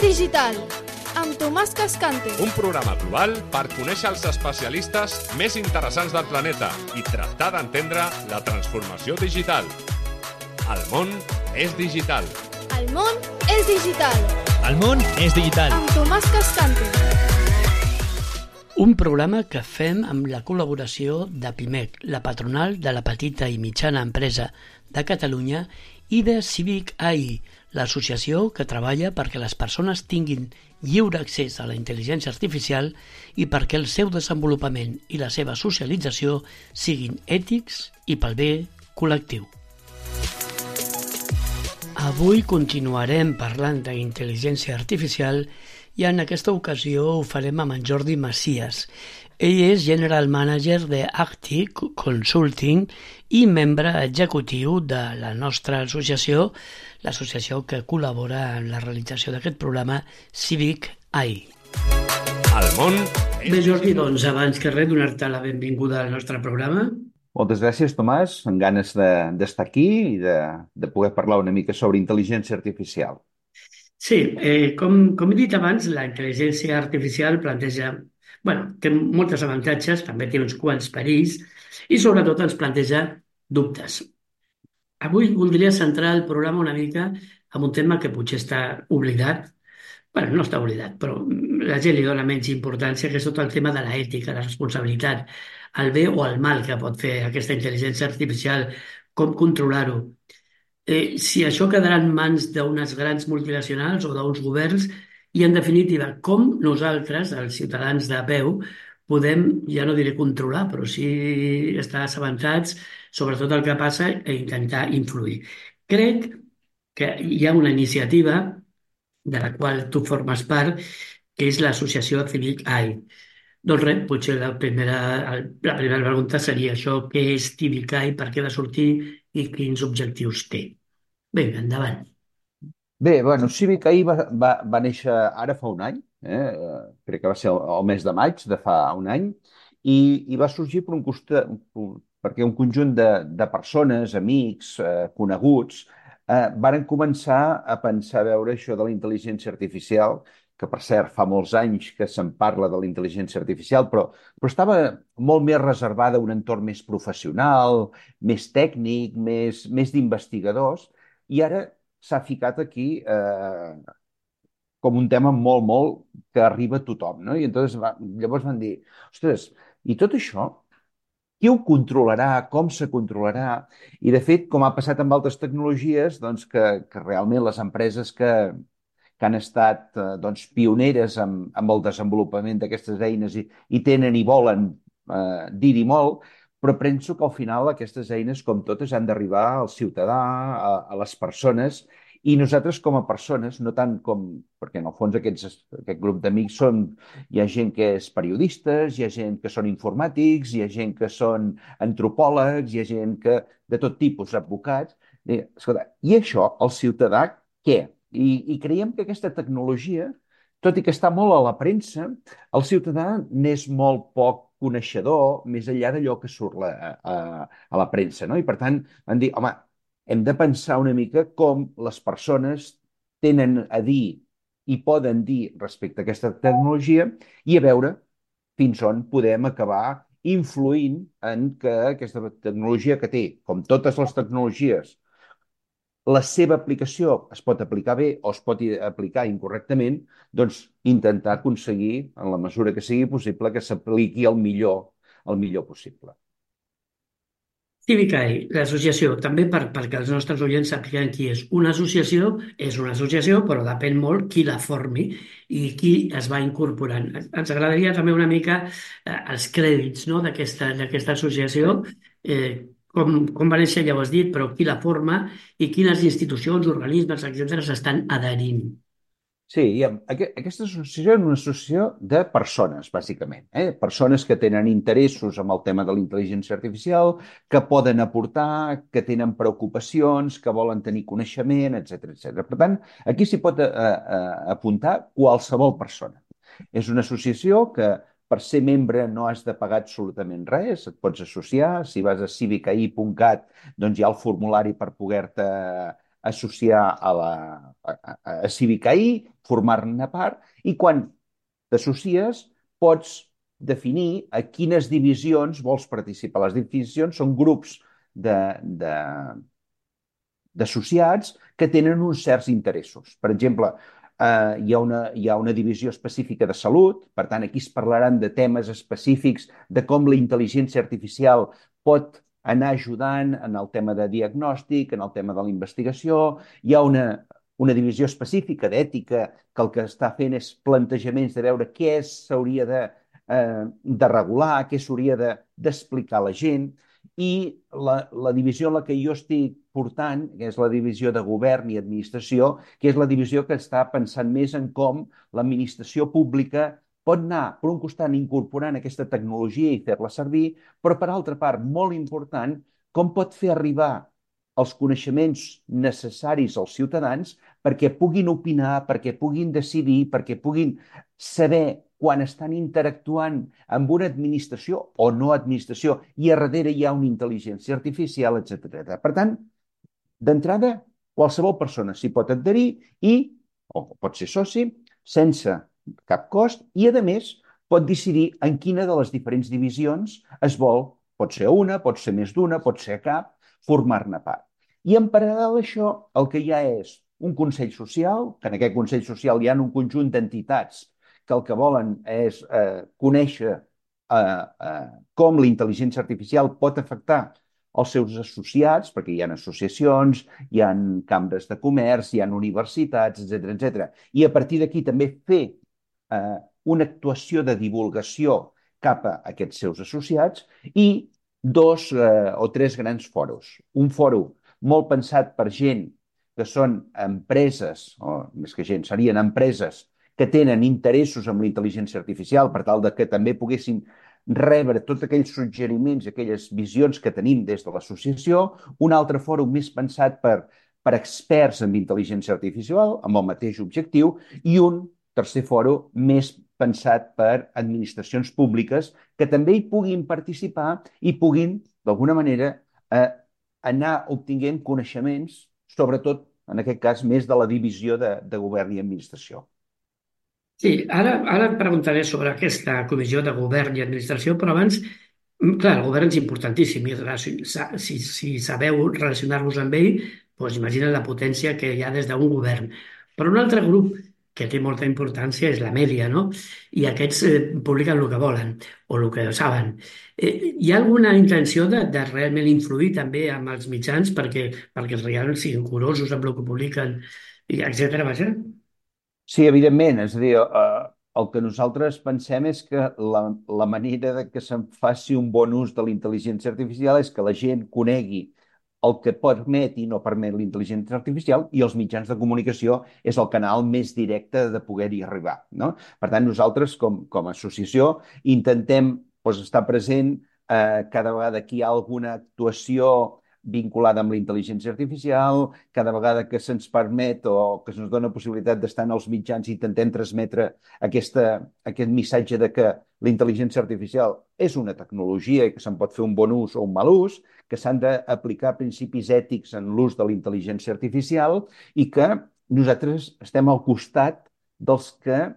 digital, amb Tomàs Cascante. Un programa global per conèixer els especialistes més interessants del planeta i tractar d'entendre la transformació digital. El món és digital. El món és digital. El món és digital. Amb Tomàs Cascante. Un programa que fem amb la col·laboració de PIMEC, la patronal de la petita i mitjana empresa de Catalunya, i de Civic AI, l'associació que treballa perquè les persones tinguin lliure accés a la intel·ligència artificial i perquè el seu desenvolupament i la seva socialització siguin ètics i pel bé col·lectiu. Avui continuarem parlant d'intel·ligència artificial i en aquesta ocasió ho farem amb en Jordi Macias. Ell és General Manager de Actic Consulting i membre executiu de la nostra associació, l'associació que col·labora en la realització d'aquest programa, Civic AI. El món és... Bé, Jordi, doncs abans que res, donar-te la benvinguda al nostre programa. Moltes gràcies, Tomàs, amb ganes d'estar aquí i de poder parlar una mica sobre intel·ligència artificial. Sí, com he dit abans, la intel·ligència artificial té molts avantatges, també té uns quants perills i sobretot ens planteja dubtes. Avui voldria centrar el programa una mica en un tema que potser està oblidat. No està oblidat, però la gent li dona menys importància, que és tot el tema de l'ètica, la responsabilitat, el bé o el mal que pot fer aquesta intel·ligència artificial, com controlar-ho. Si això quedarà en mans d'unes grans multinacionals o d'uns governs i, en definitiva, com nosaltres, els ciutadans de peu, podem, ja no diré controlar, però sí estar assabentats sobre tot el que passa i intentar influir. Crec que hi ha una iniciativa de la qual tu formes part, que és l'associació Civic AI. Doncs res, potser la primera pregunta seria això, què és Civic AI, per què va sortir i quins objectius té. Vinga, endavant. Bé, Civic AI va néixer ara fa un any, crec que va ser el mes de maig de fa un any, i va sorgir perquè un conjunt de persones, amics, coneguts, varen començar a pensar a veure això de la intel·ligència artificial, que per cert fa molts anys que se'n parla de la intel·ligència artificial, però estava molt més reservada a un entorn més professional, més tècnic, més d'investigadors, i ara s'ha ficat aquí com un tema molt que arriba a tothom, no? I llavors van dir, ostres, i tot això, qui ho controlarà, com se controlarà? I de fet, com ha passat amb altres tecnologies, doncs que realment les empreses que han estat pioneres amb el desenvolupament d'aquestes eines i tenen i volen dir-hi molt, però penso que al final aquestes eines, com totes, han d'arribar al ciutadà, a les persones, i nosaltres com a persones, no tant com... perquè en el fons aquest grup d'amics hi ha gent que és periodistes, hi ha gent que són informàtics, hi ha gent que són antropòlegs, hi ha gent que de tot tipus, advocats. Escolta, i això, el ciutadà, què? I creiem que aquesta tecnologia, tot i que està molt a la premsa, el ciutadà n'és molt poc coneixedor, més enllà d'allò que surt a la premsa, no? I per tant, van dir, home, hem de pensar una mica com les persones tenen a dir i poden dir respecte a aquesta tecnologia i a veure fins on podem acabar influint en que aquesta tecnologia que té, com totes les tecnologies, la seva aplicació es pot aplicar bé o es pot aplicar incorrectament, doncs intentar aconseguir, en la mesura que sigui possible, que s'apliqui el millor possible. Civic AI, l'associació, també perquè els nostres oients sàpiguen qui és. Una associació és una associació, però depèn molt qui la formi i qui es va incorporant. Ens agradaria també una mica els crèdits, no, d'aquesta associació, com va néixer, ja ho has dit, però qui la forma i quines institucions, organismes, etcètera, s'estan adherint. Sí, aquesta associació és una associació de persones, bàsicament. Persones que tenen interessos amb el tema de la intel·ligència artificial, que poden aportar, que tenen preocupacions, que volen tenir coneixement, etc. Per tant, aquí s'hi pot apuntar qualsevol persona. És una associació que per ser membre no has de pagar absolutament res, et pots associar. Si vas a civicai.cat, doncs hi ha el formulari per poder-te associar a a Civicaí, formar-ne part, i quan t'associes pots definir a quines divisions vols participar. Les divisions són grups de, de, d'associats que tenen uns certs interessos. Per exemple, hi ha una divisió específica de salut, per tant, aquí es parlaran de temes específics de com la intel·ligència artificial pot anar ajudant en el tema de diagnòstic, en el tema de la investigació. Hi ha una divisió específica d'ètica que el que està fent és plantejaments de veure què s'hauria de regular, què s'hauria d'explicar a la gent, i la divisió en la que jo estic portant, que és la divisió de govern i administració, que és la divisió que està pensant més en com l'administració pública pot anar, per un costat, incorporant aquesta tecnologia i fer-la servir, però, per altra part, molt important, com pot fer arribar els coneixements necessaris als ciutadans perquè puguin opinar, perquè puguin decidir, perquè puguin saber quan estan interactuant amb una administració o no administració i a darrere hi ha una intel·ligència artificial, etc. Per tant, d'entrada, qualsevol persona s'hi pot adherir o pot ser soci sense cap cost i, a més, pot decidir en quina de les diferents divisions es vol. Pot ser una, pot ser més d'una, pot ser cap, formar-ne part. I en paral·lel a això, el que hi ha és un Consell Social, que en aquest Consell Social hi ha un conjunt d'entitats que el que volen és conèixer com la intel·ligència artificial pot afectar els seus associats, perquè hi ha associacions, hi ha cambres de comerç, hi ha universitats, etc. I a partir d'aquí també fer una actuació de divulgació cap a aquests seus associats i 2 o 3 grans fòrums. Un fòrum molt pensat per gent que són empreses, o més que gent, serien empreses que tenen interessos amb la intel·ligència artificial per tal de que també poguessin rebre tots aquells suggeriments, aquelles visions que tenim des de l'associació, un altre fòrum més pensat per experts en intel·ligència artificial, amb el mateix objectiu, i un tercer fòrum més pensat per administracions públiques que també hi puguin participar i puguin, d'alguna manera, anar obtinguent coneixements, sobretot, en aquest cas, més de la divisió de govern i administració. Sí, ara et preguntaré sobre aquesta comissió de govern i administració, però abans, clar, el govern és importantíssim i si sabeu relacionar-vos amb ell, doncs imagina't la potència que hi ha des d'un govern. Però un altre grup que té molta importància és la mèdia, no? I aquests publiquen el que volen o el que saben. Hi ha alguna intenció de realment influir també amb els mitjans perquè els realment siguin curosos amb el que publiquen, etcètera, vaja? Sí, evidentment. És a dir, el que nosaltres pensem és que la manera de que se'n faci un bon ús de la intel·ligència artificial és que la gent conegui el que permet i no permet la intel·ligència artificial i els mitjans de comunicació és el canal més directe de poder-hi arribar, no? Per tant, nosaltres, com a associació, intentem estar present cada vegada que hi ha alguna actuació vinculada amb la intel·ligència artificial, cada vegada que se'ns permet o que se'ns dona possibilitat d'estar en els mitjans intentem transmetre aquest missatge de que la intel·ligència artificial és una tecnologia i que se'n pot fer un bon ús o un mal ús, que s'han d'aplicar principis ètics en l'ús de la intel·ligència artificial i que nosaltres estem al costat dels que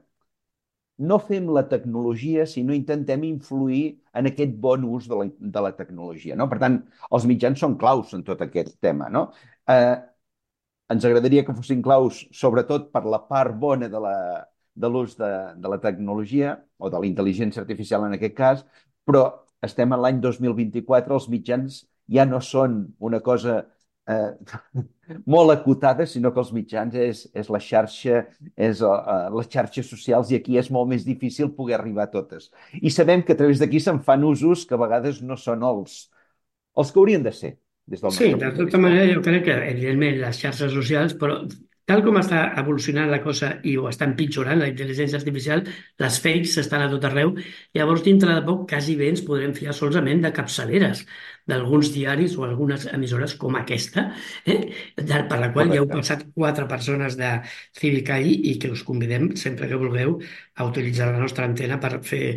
no fem la tecnologia, sinó intentem influir en aquest bon ús de la tecnologia, no? Per tant, els mitjans són claus en tot aquest tema, no? Ens agradaria que fossin claus, sobretot per la part bona de l'ús de la tecnologia, o de la intel·ligència artificial en aquest cas, però estem en l'any 2024, els mitjans ja no són una cosa molt acotada, sinó que els mitjans és la xarxa, és les xarxes socials, i aquí és molt més difícil poder arribar a totes. I sabem que a través d'aquí se'n fan usos que a vegades no són els que haurien de ser, des del Sí, nostre de punt de tota vista. manera jo crec que, evidentment, les xarxes socials, però tal com està evolucionant la cosa i ho està empitjorant la intel·ligència artificial, les fakes estan a tot arreu. Llavors, dintre de poc, quasi bé ens podrem fiar solament de capçaleres d'alguns diaris o algunes emissores com aquesta, per la qual ja heu Correcte. passat 4 persones de Civicaí i que us convidem, sempre que vulgueu, a utilitzar la nostra antena per fer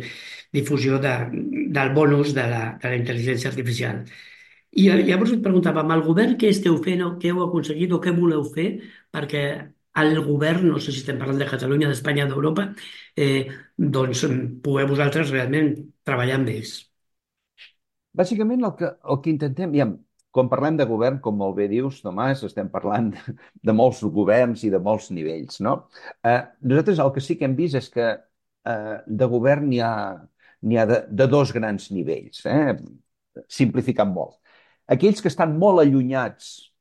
difusió del bon ús de la intel·ligència artificial. I llavors et preguntava, amb el govern què esteu fent o què heu aconseguit o què voleu fer perquè al govern, no sé si estem parlant de Catalunya, d'Espanya, d'Europa, doncs poder vosaltres realment treballar amb ells. Bàsicament el que intentem, ja, quan parlem de govern, com molt bé dius, Tomàs, estem parlant de molts governs i de molts nivells, no? Nosaltres el que sí que hem vist és que de govern n'hi ha de dos grans nivells, simplificant molt. Aquells que estan molt allunyats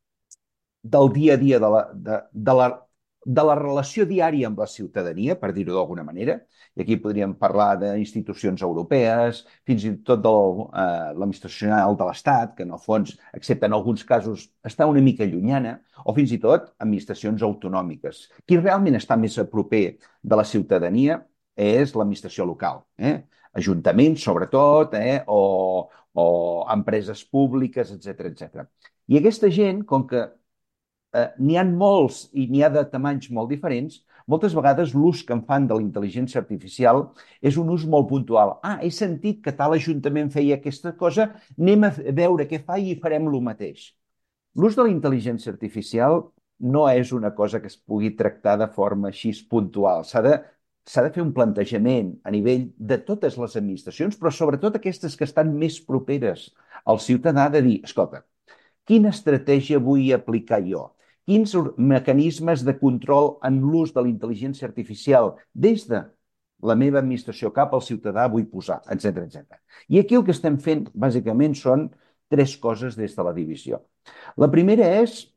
del dia a dia de la relació diària amb la ciutadania, per dir-ho d'alguna manera, i aquí podríem parlar d'institucions europees, fins i tot de l'administració general de l'Estat, que en el fons, excepte en alguns casos, està una mica llunyana, o fins i tot administracions autonòmiques. Qui realment està més a proper de la ciutadania és l'administració local, ajuntaments, sobretot, o empreses públiques, etc etc. I aquesta gent, com que n'hi ha molts i n'hi ha de tamanys molt diferents, moltes vegades l'ús que en fan de la intel·ligència artificial és un ús molt puntual. He sentit que tal ajuntament feia aquesta cosa, anem a veure què fa i farem el mateix. L'ús de la intel·ligència artificial no és una cosa que es pugui tractar de forma així puntual. S'ha de fer un plantejament a nivell de totes les administracions, però sobretot aquestes que estan més properes al ciutadà, de dir, escolta, quina estratègia vull aplicar jo? Quins mecanismes de control en l'ús de la intel·ligència artificial des de la meva administració cap al ciutadà vull posar, etc etc. I aquí el que estem fent, bàsicament, són tres coses des de la divisió. La primera és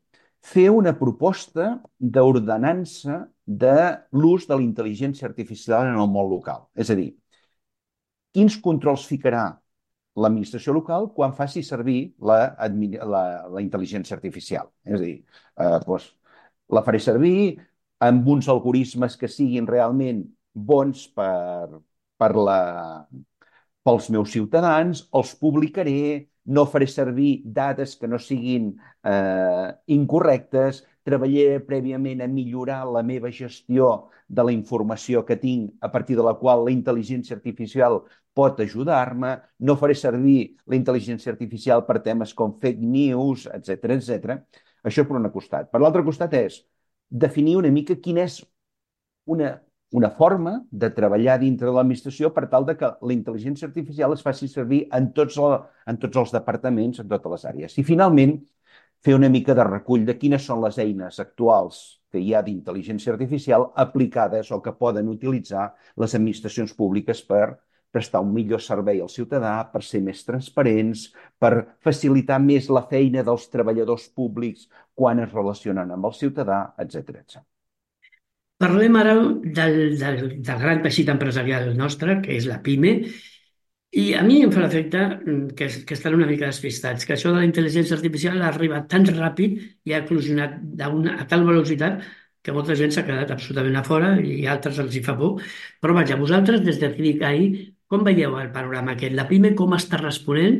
fer una proposta d'ordenança de l'ús de la intel·ligència artificial en el món local. És a dir, quins controls ficarà l'administració local quan faci servir la intel·ligència artificial. És a dir, doncs, la faré servir amb uns algoritmes que siguin realment bons pels meus ciutadans, els publicaré, no faré servir dades que no siguin incorrectes, treballaré prèviament a millorar la meva gestió de la informació que tinc, a partir de la qual la intel·ligència artificial pot ajudar-me, no faré servir la intel·ligència artificial per temes com fake news, etc etc. Això per un costat. Per l'altre costat és definir una mica quina és una forma de treballar dintre de l'administració per tal de que la intel·ligència artificial es faci servir en tots els departaments, en totes les àrees. I finalment, fer una mica de recull de quines són les eines actuals que hi ha d'intel·ligència artificial aplicades o que poden utilitzar les administracions públiques per prestar un millor servei al ciutadà, per ser més transparents, per facilitar més la feina dels treballadors públics quan es relacionen amb el ciutadà, etc etc. Parlem ara del gran teixit empresarial nostre, que és la PIME, i a mi em fa l'efecte que estan una mica despistats, que això de la intel·ligència artificial ha arribat tan ràpid i ha eclosionat a tal velocitat que molta gent s'ha quedat absolutament a fora i a altres els hi fa por. Però vaja, vosaltres des de CIVIC-AI, com veieu el panorama aquest? La PIME com està responent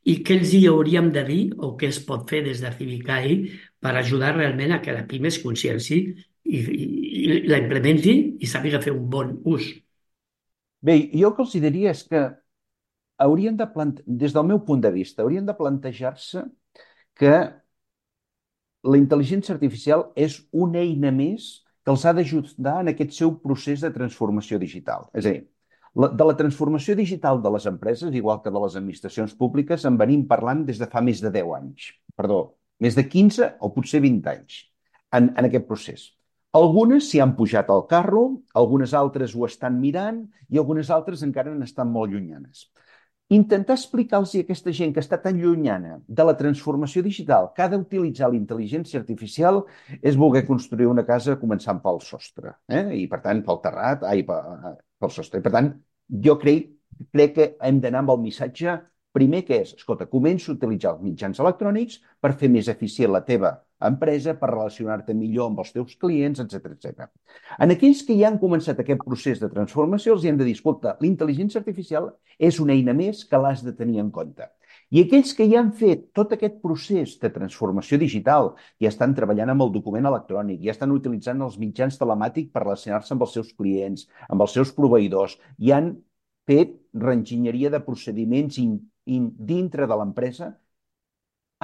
i què els hi hauríem de dir o què es pot fer des de CIVIC-AI per ajudar realment a que la PIME es conscienci i la implementi i sàpiga fer un bon ús? Bé, jo el que els diria és que des del meu punt de vista, haurien de plantejar-se que la intel·ligència artificial és una eina més que els ha d'ajudar en aquest seu procés de transformació digital. És a dir, de la transformació digital de les empreses, igual que de les administracions públiques, en venim parlant des de fa més de 10 anys. Perdó, més de 15 o potser 20 anys en aquest procés. Algunes s'hi han pujat al carro, algunes altres ho estan mirant i algunes altres encara n'estan molt llunyanes. Intentar explicar-los a aquesta gent que està tan llunyana de la transformació digital que ha d'utilitzar la intel·ligència artificial és voler construir una casa començant pel sostre, i per tant pel terrat, pel sostre. I per tant, jo crec que hem d'anar amb el missatge primer que és, escolta, comença a utilitzar els mitjans electrònics per fer més eficient la teva empresa, per relacionar-te millor amb els teus clients, etc etc. En aquells que ja han començat aquest procés de transformació, els hem de dir, escolta, la intel·ligència artificial és una eina més que l'has de tenir en compte. I aquells que ja han fet tot aquest procés de transformació digital, ja estan treballant amb el document electrònic, ja estan utilitzant els mitjans telemàtics per relacionar-se amb els seus clients, amb els seus proveïdors, ja han fet reenginyeria de procediments dintre de l'empresa,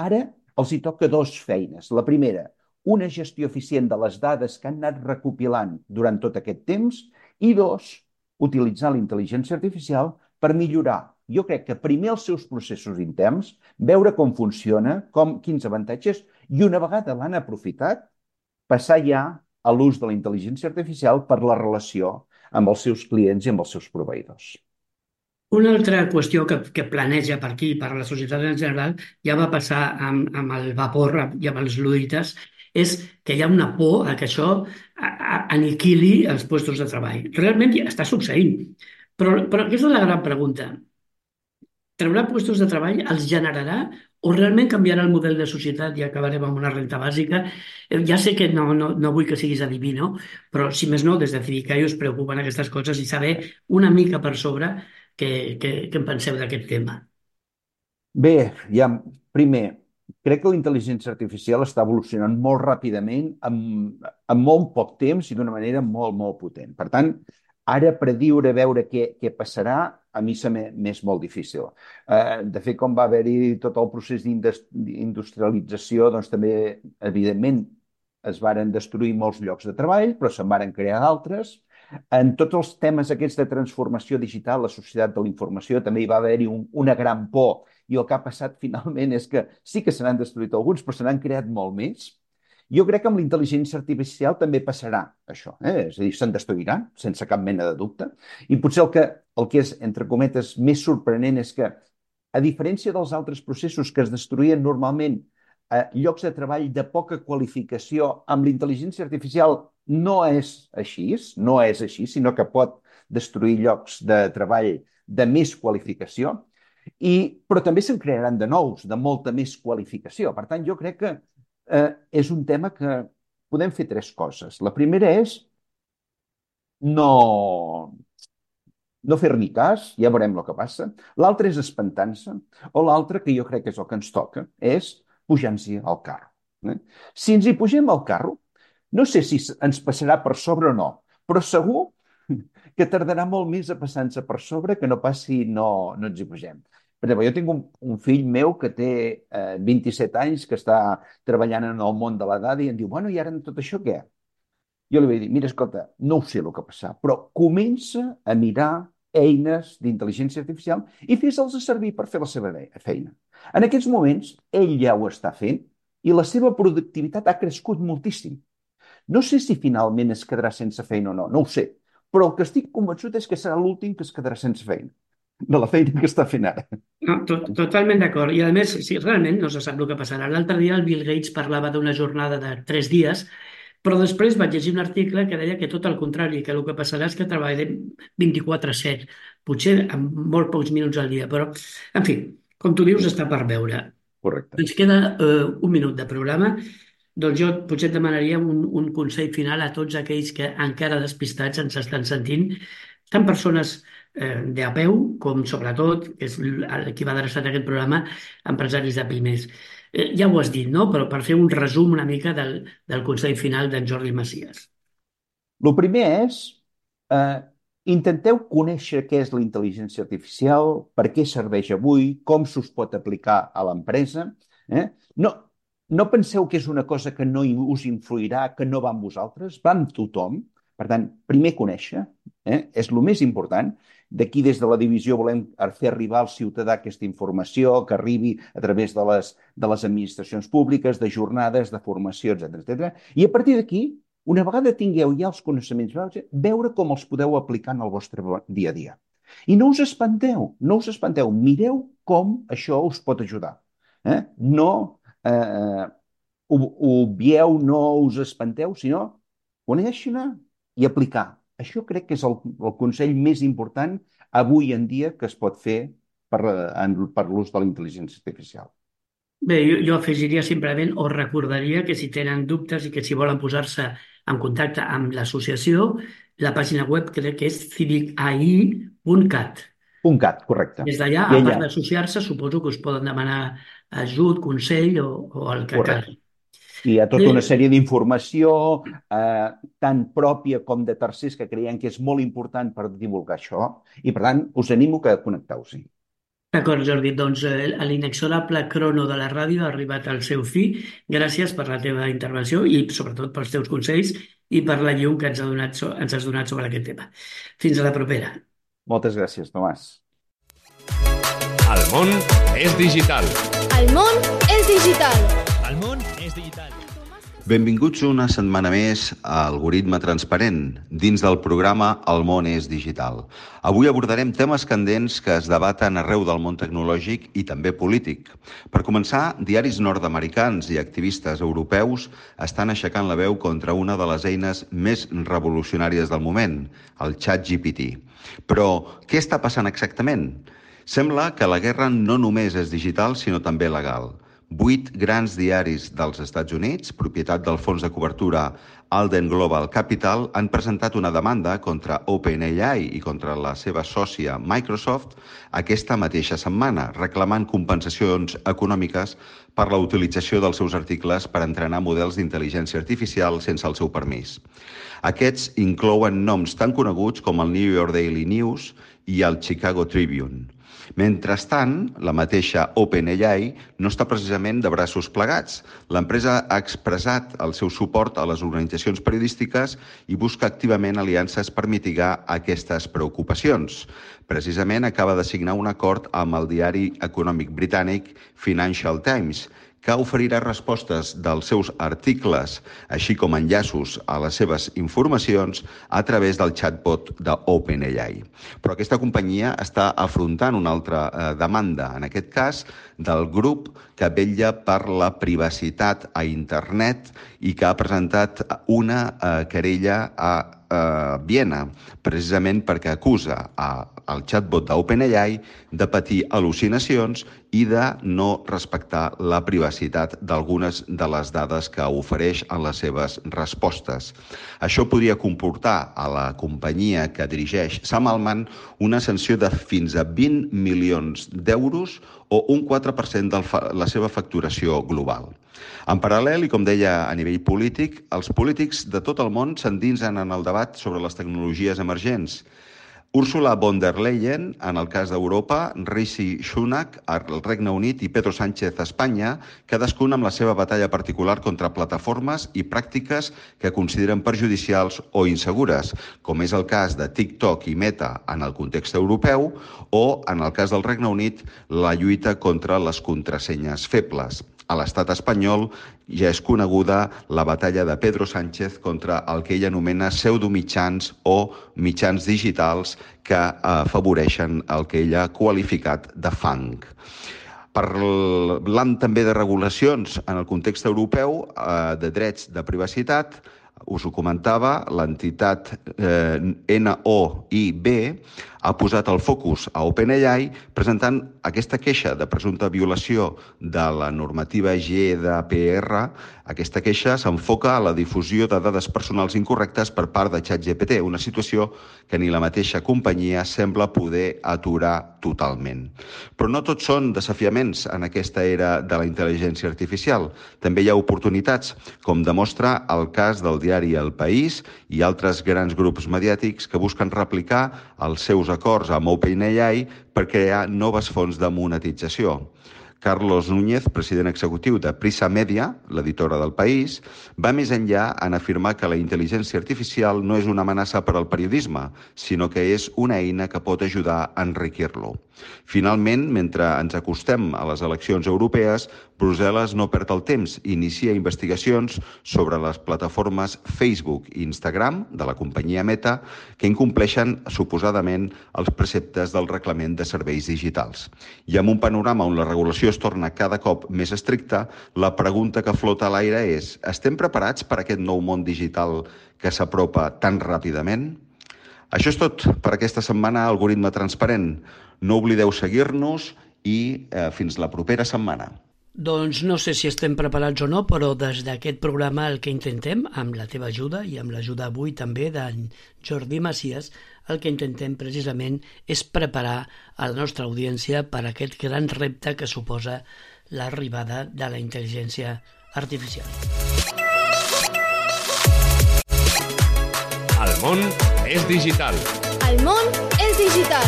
ara els hi toca dues feines. La primera, una gestió eficient de les dades que han anat recopilant durant tot aquest temps i dos, utilitzar la intel·ligència artificial per millorar, jo crec que primer els seus processos interns, veure com funciona, quins avantatges, i una vegada l'han aprofitat, passar ja a l'ús de la intel·ligència artificial per la relació amb els seus clients i amb els seus proveïdors. Una altra qüestió que planeja per aquí, per a la societat en general, ja va passar amb el vapor i amb els fluides, és que hi ha una por a que això aniquili els llocs de treball. Realment ja està succeint. Però aquesta és la gran pregunta. Traurà llocs de treball, els generarà o realment canviarà el model de societat i acabarem amb una renta bàsica? Ja sé que no vull que siguis adiví, no? Però si més no, des de Fidicaio us preocupen aquestes coses i saber una mica per sobre què en penseu d'aquest tema. Bé, ja, primer, crec que la intel·ligència artificial està evolucionant molt ràpidament, en molt poc temps i d'una manera molt, molt potent. Per tant, ara prediure veure què passarà, a mi se m'és molt difícil. De fet, com va haver-hi tot el procés d'industrialització, doncs també, evidentment, es varen destruir molts llocs de treball, però se'n varen crear d'altres. En tots els temes aquests de transformació digital, la societat de la informació, també hi va haver-hi una gran por, i el que ha passat finalment és que sí que se n'han destruït alguns, però se n'han creat molt més. Jo crec que amb la intel·ligència artificial també passarà això, És a dir, se'n destruirà, sense cap mena de dubte. I potser el que és, entre cometes, més sorprenent és que, a diferència dels altres processos que es destruïen normalment llocs de treball de poca qualificació, amb la intel·ligència artificial no és així, sinó que pot destruir llocs de treball de més qualificació, però també se'n crearan de nous, de molta més qualificació. Per tant, jo crec que és un tema que podem fer tres coses. La primera és no fer-ni cas, ja veurem el que passa. L'altra és espantar-se, o l'altra, que jo crec que és el que ens toca, és pujar-nos-hi al carro. Si ens hi pugem al carro, no sé si ens passarà per sobre o no, però segur que tardarà molt més a passar-nos per sobre que no pas si no ens hi pugem. Per exemple, jo tinc un fill meu que té 27 anys, que està treballant en el món de la dada i em diu, bueno, i ara en tot això què? Jo li vaig dir, mira, escolta, no ho sé el que passarà, però comença a mirar eines d'intel·ligència artificial i fes-les servir per fer la seva feina. En aquests moments, ell ja ho està fent i la seva productivitat ha crescut moltíssim. No sé si finalment es quedarà sense feina o no, no ho sé, però el que estic convençut és que serà l'últim que es quedarà sense feina, de la feina que està fent ara. No, totalment d'acord. I a més, si realment no se sap el que passarà. L'altre dia el Bill Gates parlava d'una jornada de 3 dies, però després vaig llegir un article que deia que tot el contrari, que el que passarà és que treballarem 24/7, potser amb molt pocs minuts al dia, però, en fi, com tu dius, està per veure. Correcte. Ens queda un minut de programa, doncs jo potser et demanaria un consell final a tots aquells que encara despistats ens estan sentint, tant persones de a peu, com sobretot, que és qui va adreçat aquest programa, empresaris de pimes. Ja ho has dit, no? Però per fer un resum una mica del consell final d'en Jordi Macias. El primer és intenteu conèixer què és la intel·ligència artificial, per què serveix avui, com s'us pot aplicar a l'empresa. No penseu que és una cosa que no us influirà, que no va amb vosaltres, va amb tothom. Per tant, primer conèixer, és el més important. D'aquí, des de la divisió, volem fer arribar al ciutadà aquesta informació, que arribi a través de les administracions públiques, de jornades, de formació, etc. I a partir d'aquí, una vegada tingueu ja els coneixements, veure com els podeu aplicar en el vostre dia a dia. I no us espanteu, mireu com això us pot ajudar. No obvieu, no us espanteu, sinó conèixer-ne i aplicar. Això crec que és el consell més important avui en dia que es pot fer per l'ús de la intel·ligència artificial. Bé, jo afegiria simplement o recordaria que si tenen dubtes i que si volen posar-se en contacte amb l'associació, la pàgina web crec que és civicai.cat. .cat, correcte. Des d'allà, a part d'associar-se, suposo que us poden demanar ajut, consell o el que calgui. I hi ha tota una sèrie d'informació, tant pròpia com de tercers, que creiem que és molt important per divulgar això, i per tant us animo que connecteu-s'hi. D'acord, Jordi, doncs l'inexorable crono de la ràdio ha arribat al seu fi. Gràcies per la teva intervenció i sobretot pels teus consells i per la llum que ens has donat sobre aquest tema. Fins a la propera. Moltes gràcies, Tomàs. El món és digital. El món és digital. El món és digital. Benvinguts una setmana més a Algoritme Transparent, dins del programa El món és digital. Avui abordarem temes candents que es debaten arreu del món tecnològic i també polític. Per començar, diaris nord-americans i activistes europeus estan aixecant la veu contra una de les eines més revolucionàries del moment, el ChatGPT. Però què està passant exactament? Sembla que la guerra no només és digital, sinó també legal. 8 grans diaris dels Estats Units, propietat del fons de cobertura Alden Global Capital, han presentat una demanda contra OpenAI i contra la seva sòcia Microsoft aquesta mateixa setmana, reclamant compensacions econòmiques per la utilització dels seus articles per entrenar models d'intel·ligència artificial sense el seu permís. Aquests inclouen noms tan coneguts com el New York Daily News i el Chicago Tribune. Mentrestant, la mateixa OpenAI no està precisament de braços plegats. L'empresa ha expressat el seu suport a les organitzacions periodístiques i busca activament aliances per mitigar aquestes preocupacions. Precisament acaba de signar un acord amb el diari econòmic britànic Financial Times, que oferirà respostes dels seus articles, així com enllaços a les seves informacions a través del chatbot d'OpenAI. Però aquesta companyia està afrontant una altra demanda, en aquest cas del grup que vetlla per la privacitat a internet i que ha presentat una querella a Viena, precisament perquè acusa el chatbot d'OpenAI de patir al·lucinacions i de no respectar la privacitat d'algunes de les dades que ofereix en les seves respostes. Això podria comportar a la companyia que dirigeix Sam Altman una sanció de fins a 20 milions d'euros o un 4% de la seva facturació global. En paral·lel, i com deia a nivell polític, els polítics de tot el món s'endinsen en el debat sobre les tecnologies emergents. Ursula von der Leyen, en el cas d'Europa, Rishi Sunak, al Regne Unit i Pedro Sánchez a Espanya, cadascun amb la seva batalla particular contra plataformes i pràctiques que consideren perjudicials o insegures, com és el cas de TikTok i Meta en el context europeu o, en el cas del Regne Unit, la lluita contra les contrasenyes febles. A l'estat espanyol ja és coneguda la batalla de Pedro Sánchez contra el que ell anomena pseudomitjans o mitjans digitals que afavoreixen el que ell ha qualificat de fang. Parlant també de regulacions en el context europeu, de drets de privacitat, us ho comentava, l'entitat NOIB ha posat el focus a OpenAI presentant aquesta queixa de presumpta violació de la normativa GDPR. Aquesta queixa s'enfoca a la difusió de dades personals incorrectes per part de ChatGPT, una situació que ni la mateixa companyia sembla poder aturar totalment. Però no tots són desafiaments en aquesta era de la intel·ligència artificial. També hi ha oportunitats, com demostra el cas del diari El País i altres grans grups mediàtics que busquen replicar els seus acords amb OpenAI per crear noves fonts de monetització. Carlos Núñez, president executiu de Prisa Media, l'editora del País, va més enllà en afirmar que la intel·ligència artificial no és una amenaça per al periodisme, sinó que és una eina que pot ajudar a enriquir-lo. Finalment, mentre ens acostem a les eleccions europees, Brussel·les no perd el temps i inicia investigacions sobre les plataformes Facebook i Instagram de la companyia Meta que incompleixen suposadament els preceptes del reglament de serveis digitals. I amb un panorama on la regulació es torna cada cop més estricta, la pregunta que flota a l'aire és: estem preparats per a aquest nou món digital que s'apropa tan ràpidament? Això és tot per aquesta setmana a Algoritme Transparent. No oblideu seguir-nos i fins la propera setmana. Doncs no sé si estem preparats o no, però des d'aquest programa el que intentem, amb la teva ajuda i amb l'ajuda avui també d'en Jordi Macias, el que intentem precisament és preparar a la nostra audiència per a aquest gran repte que suposa l'arribada de la intel·ligència artificial. El món és digital. El món és digital.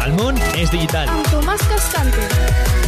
El món és digital. Amb Tomàs Cascante.